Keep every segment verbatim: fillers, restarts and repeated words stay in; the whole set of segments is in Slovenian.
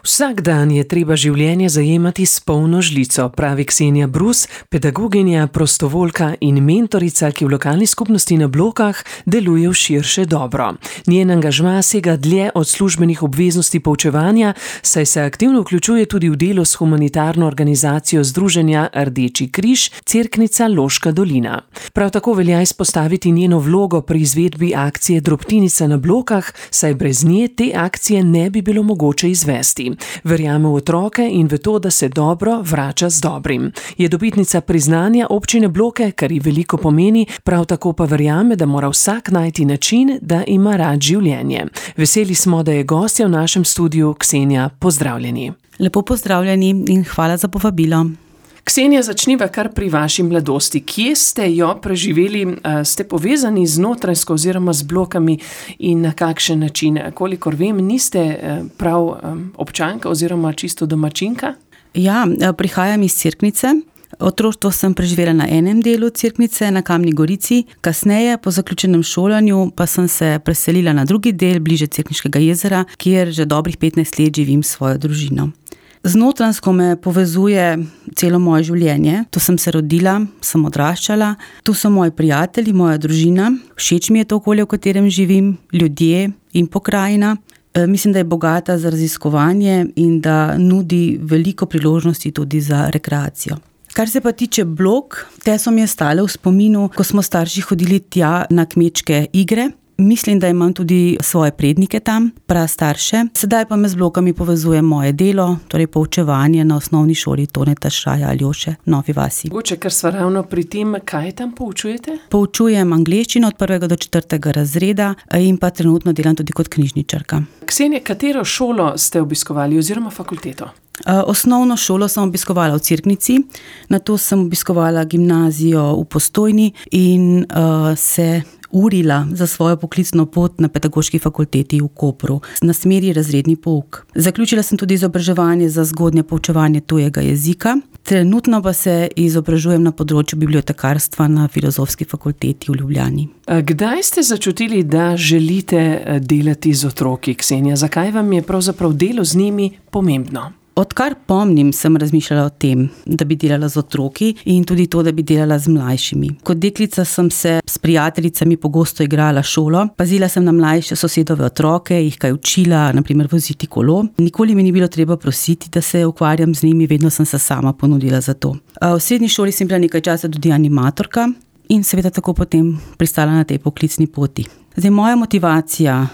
Vsak dan je treba življenje zajemati s polno žlico, pravi Ksenija Brus, pedagoginja, prostovoljka in mentorica, ki v lokalni skupnosti na Blokah deluje v širše dobro. Njen angažma sega dlje od službenih obveznosti poučevanja, saj se aktivno vključuje tudi v delo s humanitarno organizacijo Združenja Rdeči križ Cerknica Loška dolina. Prav tako velja izpostaviti njeno vlogo pri izvedbi akcije Drobtinica na Blokah, saj brez nje te akcije ne bi bilo mogoče izvesti. Verjame v otroke in v to, da se dobro vrača z dobrim. Je dobitnica priznanja občine Bloke, kar ji veliko pomeni, prav tako pa verjame, da mora vsak najti način, da ima rad življenje. Veseli smo, da je gostja v našem studiu. Ksenija, pozdravljeni. Lepo pozdravljeni in hvala za povabilo. Ksenija, začniva kar pri vaši mladosti. Kje ste jo preživeli? Ste povezani z Notranjsko oziroma z Blokami in na kakšen način? Kolikor vem, niste prav občanka oziroma čisto domačinka? Ja, prihajam iz Cerknice. Otroštvo sem preživela na enem delu Cerknice, na Kamni Gorici. Kasneje, po zaključenem šolanju, pa sem se preselila na drugi del, bliže Cerkniškega jezera, kjer že dobrih petnajst let živim s svojo družino. Z Notranjsko me povezuje celo moje življenje. Tu sem se rodila, sem odraščala, tu so moji prijatelji, moja družina. Všeč mi je to okolje, v katerem živim, ljudje in pokrajina. E, mislim, da je bogata za raziskovanje in da nudi veliko priložnosti tudi za rekreacijo. Kar se pa tiče Blok, te so mi ostale v spominu, ko smo starši hodili tja na kmečke igre. Mislim, da imam tudi svoje prednike tam, prastarše. Sedaj pa me z Blokami povezuje moje delo, torej poučevanje na osnovni šoli Toneta Šraja Aljoše v Novi vasi. Mogoče, ker sva ravno pri tem, kaj tam poučujete? Poučujem angleščino od prvega do četrtega razreda in pa trenutno delam tudi kot knjižničarka. Ksenija, katero šolo ste obiskovali oziroma fakulteto? Osnovno šolo sem obiskovala v Cerknici, nato sem obiskovala gimnazijo v Postojni in uh, se urila za svojo poklicno pot na pedagoški fakulteti v Kopru na smeri razredni pouk. Zaključila sem tudi izobraževanje za zgodnje poučevanje tujega jezika. Trenutno pa se izobražujem na področju bibliotekarstva na Filozofski fakulteti v Ljubljani. Kdaj ste začutili, da želite delati z otroki, Ksenija? Zakaj vam je pravzaprav delo z njimi pomembno? Odkar pomnim, sem razmišljala o tem, da bi delala z otroki in tudi to, da bi delala z mlajšimi. Kot deklica sem se s prijateljicami pogosto igrala šolo, pazila sem na mlajše sosedove otroke, jih kaj učila, na primer voziti kolo. Nikoli mi ni bilo treba prositi, da se ukvarjam z njimi, vedno sem se sama ponudila za to. V srednji šoli sem bila nekaj časa tudi animatorka in seveda tako potem pristala na tej poklicni poti. Zdaj, moja motivacija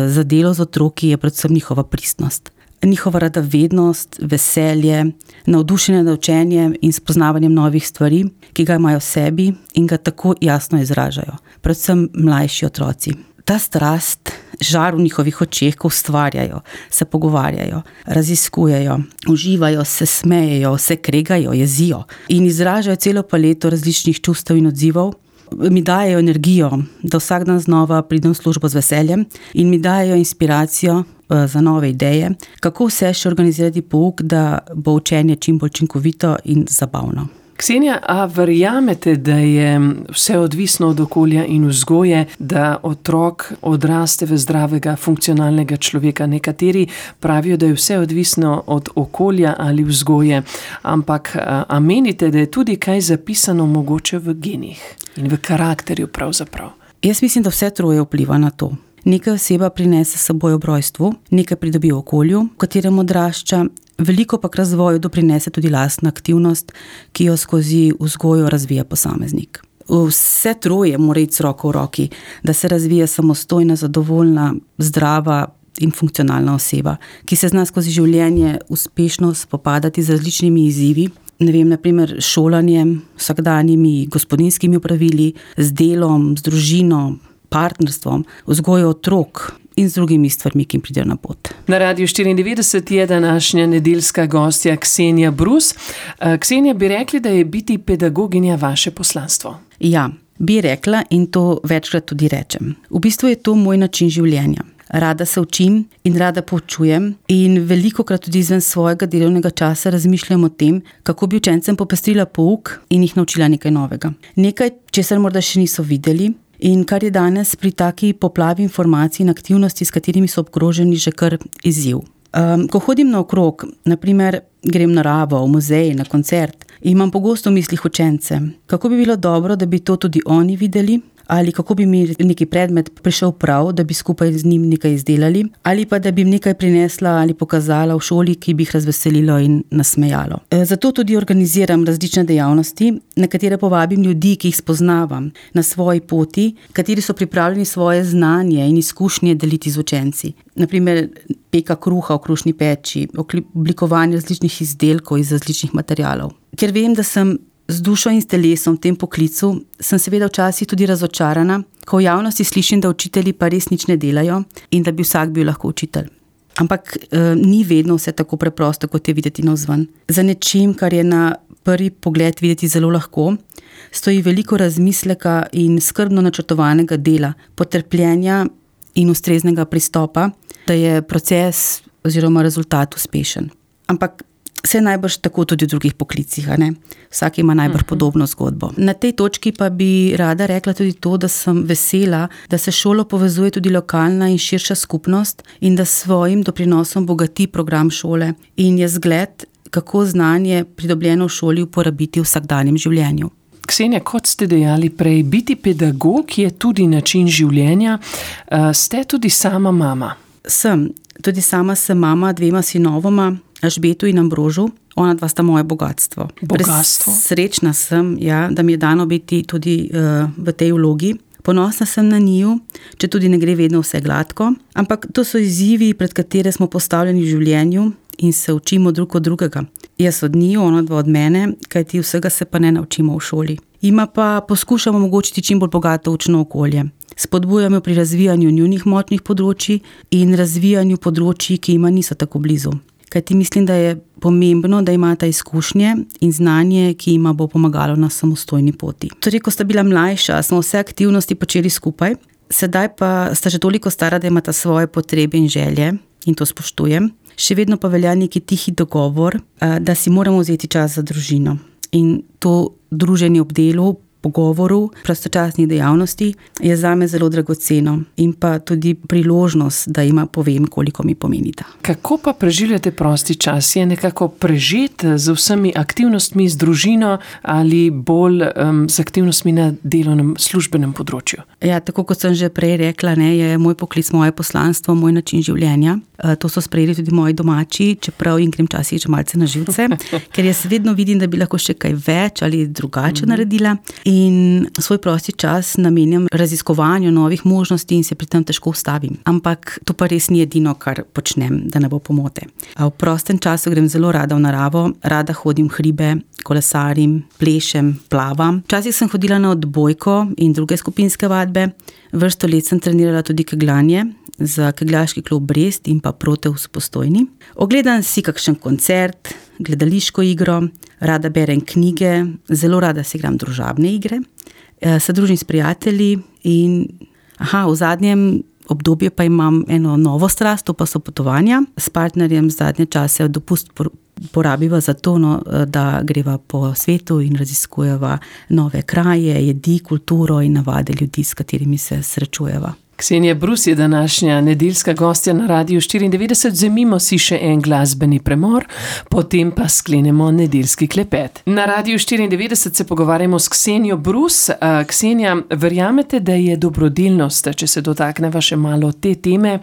za delo z otroki je predvsem njihova pristnost. Njihova radovednost, veselje, navdušenje nad učenjem in spoznavanjem novih stvari, ki ga imajo v sebi in ga tako jasno izražajo. Predvsem mlajši otroci. Ta strast, žar v njihovih očeh, ko ustvarjajo, se pogovarjajo, raziskujejo, uživajo, se smejejo, se kregajo, jezijo in izražajo celo paleto različnih čustev in odzivov, mi dajejo energijo, da vsak dan znova pridem v službo z veseljem in mi dajejo inspiracijo za nove ideje, kako vse še organizirati pouk, da bo učenje čim bolj učinkovito in zabavno. Ksenija, a verjamete, da je vse odvisno od okolja in vzgoje, da otrok odraste v zdravega, funkcionalnega človeka? Nekateri pravijo, da je vse odvisno od okolja ali vzgoje, ampak a menite, da je tudi kaj zapisano mogoče v genih in v karakterju pravzaprav? Jaz mislim, da vse troje vpliva na to. Nekaj oseba prinese s seboj ob rojstvu, nekaj pridobi v okolju, v katerem odrašča, veliko pa k razvoju doprinese tudi lastna aktivnost, ki jo skozi vzgojo razvija posameznik. Vse troje mora iti z roko v roki, da se razvija samostojna, zadovoljna, zdrava in funkcionalna oseba, ki se zna skozi življenje uspešno spopadati z različnimi izzivi, ne vem, na primer šolanjem, vsakdanjimi gospodinjskimi opravili, z delom, z družino, partnerstvom, vzgojo otrok in z drugimi stvarmi, ki jim pridejo na pot. Na Radiu štiriindevetdeset je današnja nedeljska gostja Ksenija Brus. Ksenija, bi rekli, da je biti pedagoginja vaše poslanstvo? Ja, bi rekla in to večkrat tudi rečem. V bistvu je to moj način življenja. Rada se učim in rada poučujem in velikokrat tudi izven svojega delovnega časa razmišljam o tem, kako bi učencem popestrila pouk in jih naučila nekaj novega. Nekaj, česar morda še niso videli, in kar je danes pri taki poplavi informacij in aktivnosti, s katerimi so obkroženi, že kar izziv. Um, ko hodim naokrog, naprimer grem na naravo, v muzej, na koncert, imam pogosto v mislih učence. Kako bi bilo dobro, da bi to tudi oni videli? Ali kako bi mi neki predmet prišel prav, da bi skupaj z njim nekaj izdelali, ali pa da bi jim nekaj prinesla ali pokazala v šoli, ki bi jih razveselilo in nasmejalo. Zato tudi organiziram različne dejavnosti, na katere povabim ljudi, ki jih spoznavam na svoji poti, kateri so pripravljeni svoje znanje in izkušnje deliti z učenci. Naprimer, peka kruha v krušni peči, oblikovanje različnih izdelkov iz različnih materialov. Ker vem, da sem z dušo in s telesom v tem poklicu, sem seveda včasih tudi razočarana, ko v javnosti slišim, da učitelji pa res nič ne delajo in da bi vsak bil lahko učitelj. Ampak eh, ni vedno vse tako preprosto, kot je videti navzven. Za nečim, kar je na prvi pogled videti zelo lahko, stoji veliko razmisleka in skrbno načrtovanega dela, potrpljenja in ustreznega pristopa, da je proces oziroma rezultat uspešen. Ampak vse najbrž tako tudi v drugih poklicih, a ne? Vsak ima najbrž uh-huh. podobno zgodbo. Na tej točki pa bi rada rekla tudi to, da sem vesela, da se šolo povezuje tudi lokalna in širša skupnost in da s svojim doprinosom bogati program šole in je zgled, kako znanje pridobljeno v šoli uporabiti v vsakdanjem življenju. Ksenija, kot ste dejali prej, biti pedagog je tudi način življenja. Ste tudi sama mama? Sem. Tudi sama sem mama dvema sinovoma, Alžbetu in Ambrožu. Ona dva sta moje bogatstvo. Bogatstvo? Srečna sem, ja, da mi je dano biti tudi uh, v tej vlogi. Ponosna sem na njiju, če tudi ne gre vedno vse gladko, ampak to so izzivi, pred katere smo postavljeni v življenju in se učimo drug od drugega. Jaz od njiju, ona dva od mene, kajti vsega se pa ne naučimo v šoli. Ima pa poskušamo omogočiti čim bolj bogato učno okolje. Spodbujamo pri razvijanju njunih močnih področji in razvijanju področji, ki ima niso tako blizu. Kajti mislim, da je pomembno, da imata izkušnje in znanje, ki ima bo pomagalo na samostojni poti. Torej, ko sta bila mlajša, smo vse aktivnosti počeli skupaj, sedaj pa sta že toliko stara, da imata svoje potrebe in želje in to spoštujem. Še vedno pa velja neki tihi dogovor, da si moramo vzeti čas za družino. In to druženje ob delu, pogovoru, prostočasnih dejavnosti je zame zelo dragoceno in pa tudi priložnost, da ima povem, koliko mi pomenita. Kako pa preživljate prosti čas? Je nekako prežet z vsemi aktivnostmi z družino ali bolj um, z aktivnostmi na delovnem službenem področju? Ja, tako kot sem že prej rekla, ne, je moj poklic moje poslanstvo, moj način življenja. To so sprejeli tudi moji domači, čeprav jim grem časih že malce na živce, ker jaz vedno vidim, da bi lahko še kaj več ali drugače mm-hmm. naredila. In svoj prosti čas namenjam raziskovanju novih možnosti in se pri tem težko ustavim. Ampak to pa res ni edino, kar počnem, da ne bo pomote. A v prostem času grem zelo rada v naravo, rada hodim v hribe, kolesarim, plešem, plavam. Včasih sem hodila na odbojko in druge skupinske vadbe. Vrsto let sem trenirala tudi kegljanje za kegljaški klub Brest in pa Proteus v Postojni. Ogledam si kakšen koncert, gledališko igro, rada berem knjige, zelo rada se igram družabne igre, se družim s prijatelji in aha, v zadnjem obdobju pa imam eno novo strast, to pa so potovanja. S partnerjem zadnje čase dopust porabiva za to, no, da greva po svetu in raziskujeva nove kraje, jedi, kulturo in navade ljudi, s katerimi se srečujeva. Ksenija Brus je današnja nedeljska gostja na Radiu štiriindevetdeset. Vzemimo si še en glasbeni premor, potem pa sklenemo nedeljski klepet. Na Radiu štiriindevetdeset se pogovarjamo s Ksenijo Brus. Ksenija, verjamete, da je dobrodelnost, če se dotakneva še malo te teme,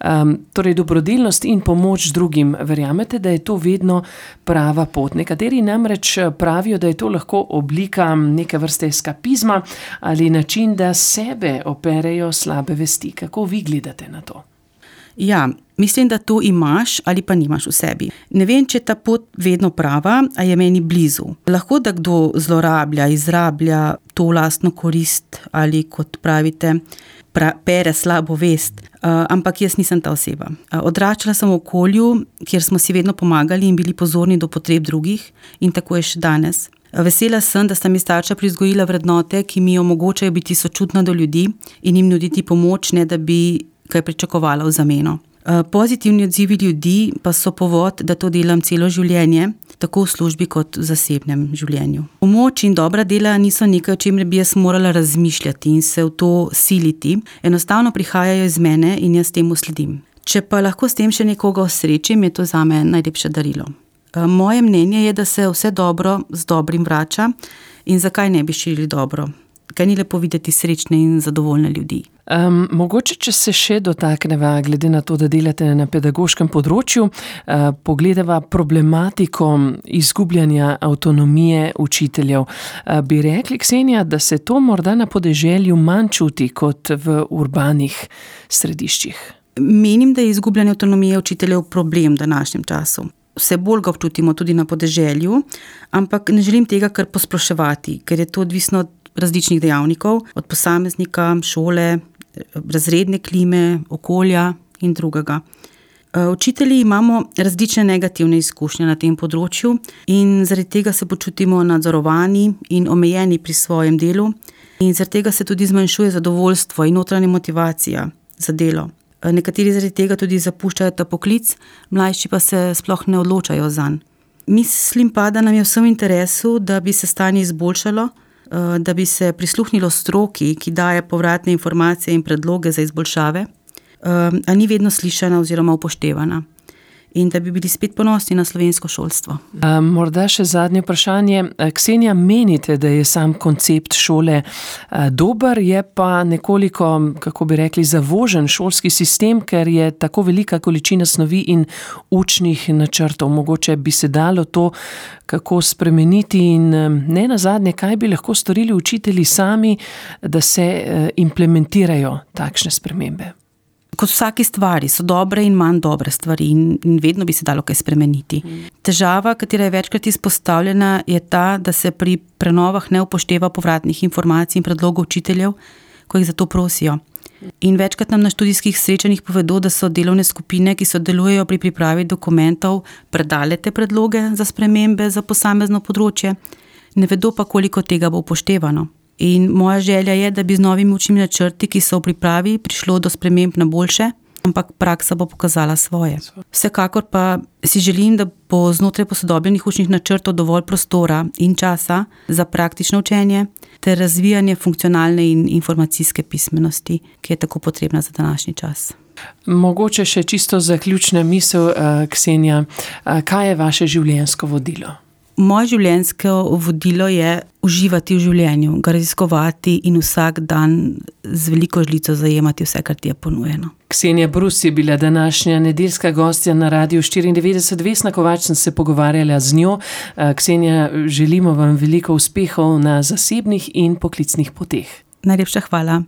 um, torej dobrodelnost in pomoč drugim, verjamete, da je to vedno prava pot? Nekateri namreč pravijo, da je to lahko oblika neke vrste eskapizma ali način, da sebe operejo slabe vesti. Kako vi gledate na to? Ja, mislim, da to imaš ali pa nimaš v sebi. Ne vem, če je ta pot vedno prava, a je meni blizu. Lahko, da kdo zlorablja, izrablja to lastno korist ali, kot pravite, pra, pere slabo vest, uh, ampak jaz nisem ta oseba. Uh, odraščala sem v okolju, kjer smo si vedno pomagali in bili pozorni do potreb drugih in tako je še danes. Vesela sem, da sta mi starša privzgojila vrednote, ki mi omogočajo biti sočutna do ljudi in jim nuditi pomoč, ne da bi kaj pričakovala v zameno. Pozitivni odzivi ljudi pa so povod, da to delam celo življenje, tako v službi kot v zasebnem življenju. Pomoč in dobra dela niso nekaj, o čemer bi jaz morala razmišljati in se v to siliti. Enostavno prihajajo iz mene in jaz temu sledim. Če pa lahko s tem še nekoga osrečim, je to zame najlepše darilo. Moje mnenje je, da se vse dobro z dobrim vrača in zakaj ne bi širili dobro. Kaj ni lepo videti srečne in zadovoljne ljudi. Um, mogoče, če se še dotakneva, glede na to, da delate na pedagoškem področju, uh, pogledava problematiko izgubljanja avtonomije učiteljev. Uh, bi rekli, Ksenija, da se to morda na podeželju manj čuti kot v urbanih središčih? Menim, da je izgubljanje avtonomije učiteljev problem v današnjem času. Vse bolj ga občutimo tudi na podeželju, ampak ne želim tega kar posploševati, ker je to odvisno od različnih dejavnikov, od posameznika, šole, razredne klime, okolja in drugega. Učitelji imamo različne negativne izkušnje na tem področju in zaradi tega se počutimo nadzorovani in omejeni pri svojem delu in zaradi tega se tudi zmanjšuje zadovoljstvo in notranja motivacija za delo. Nekateri zaradi tega tudi zapuščajo ta poklic, mlajši pa se sploh ne odločajo zanj. Mislim pa, da nam je vsem v interesu, da bi se stanje izboljšalo, da bi se prisluhnilo stroki, ki daje povratne informacije in predloge za izboljšave, a ni vedno slišana oziroma upoštevana. In da bi bili spet ponosni na slovensko šolstvo. Morda še zadnje vprašanje. Ksenija, menite, da je sam koncept šole dober, je pa nekoliko, kako bi rekli, zavožen šolski sistem, ker je tako velika količina snovi in učnih načrtov. Mogoče bi se dalo to kako spremeniti in ne nazadnje, kaj bi lahko storili učitelji sami, da se implementirajo takšne spremembe? Kot vsaki stvari so dobre in manj dobre stvari in, in vedno bi se dalo kaj spremeniti. Težava, katera je večkrat izpostavljena, je ta, da se pri prenovah ne upošteva povratnih informacij in predlogov učiteljev, ko jih za to prosijo. In večkrat nam na študijskih srečanjih povedo, da so delovne skupine, ki sodelujejo pri pripravi dokumentov, predale te predloge za spremembe za posamezno področje, ne vedo pa, koliko tega bo upoštevano. In moja želja je, da bi z novimi učnimi načrti, ki so v pripravi, prišlo do sprememb na boljše, ampak praksa bo pokazala svoje. Vsekakor pa si želim, da bo znotraj posodobljenih učnih načrtov dovolj prostora in časa za praktično učenje ter razvijanje funkcionalne in informacijske pismenosti, ki je tako potrebna za današnji čas. Mogoče še čisto zaključna misel, Ksenija, kaj je vaše življenjsko vodilo? Moje življenjsko vodilo je uživati v življenju, ga raziskovati in vsak dan z veliko žlico zajemati vse, kar ti je ponujeno. Ksenija Brus je bila današnja nedeljska gostja na Radiu štiriindevetdeset. Vesna Kovač sem se pogovarjala z njo. Ksenija, želimo vam veliko uspehov na zasebnih in poklicnih poteh. Najlepša hvala.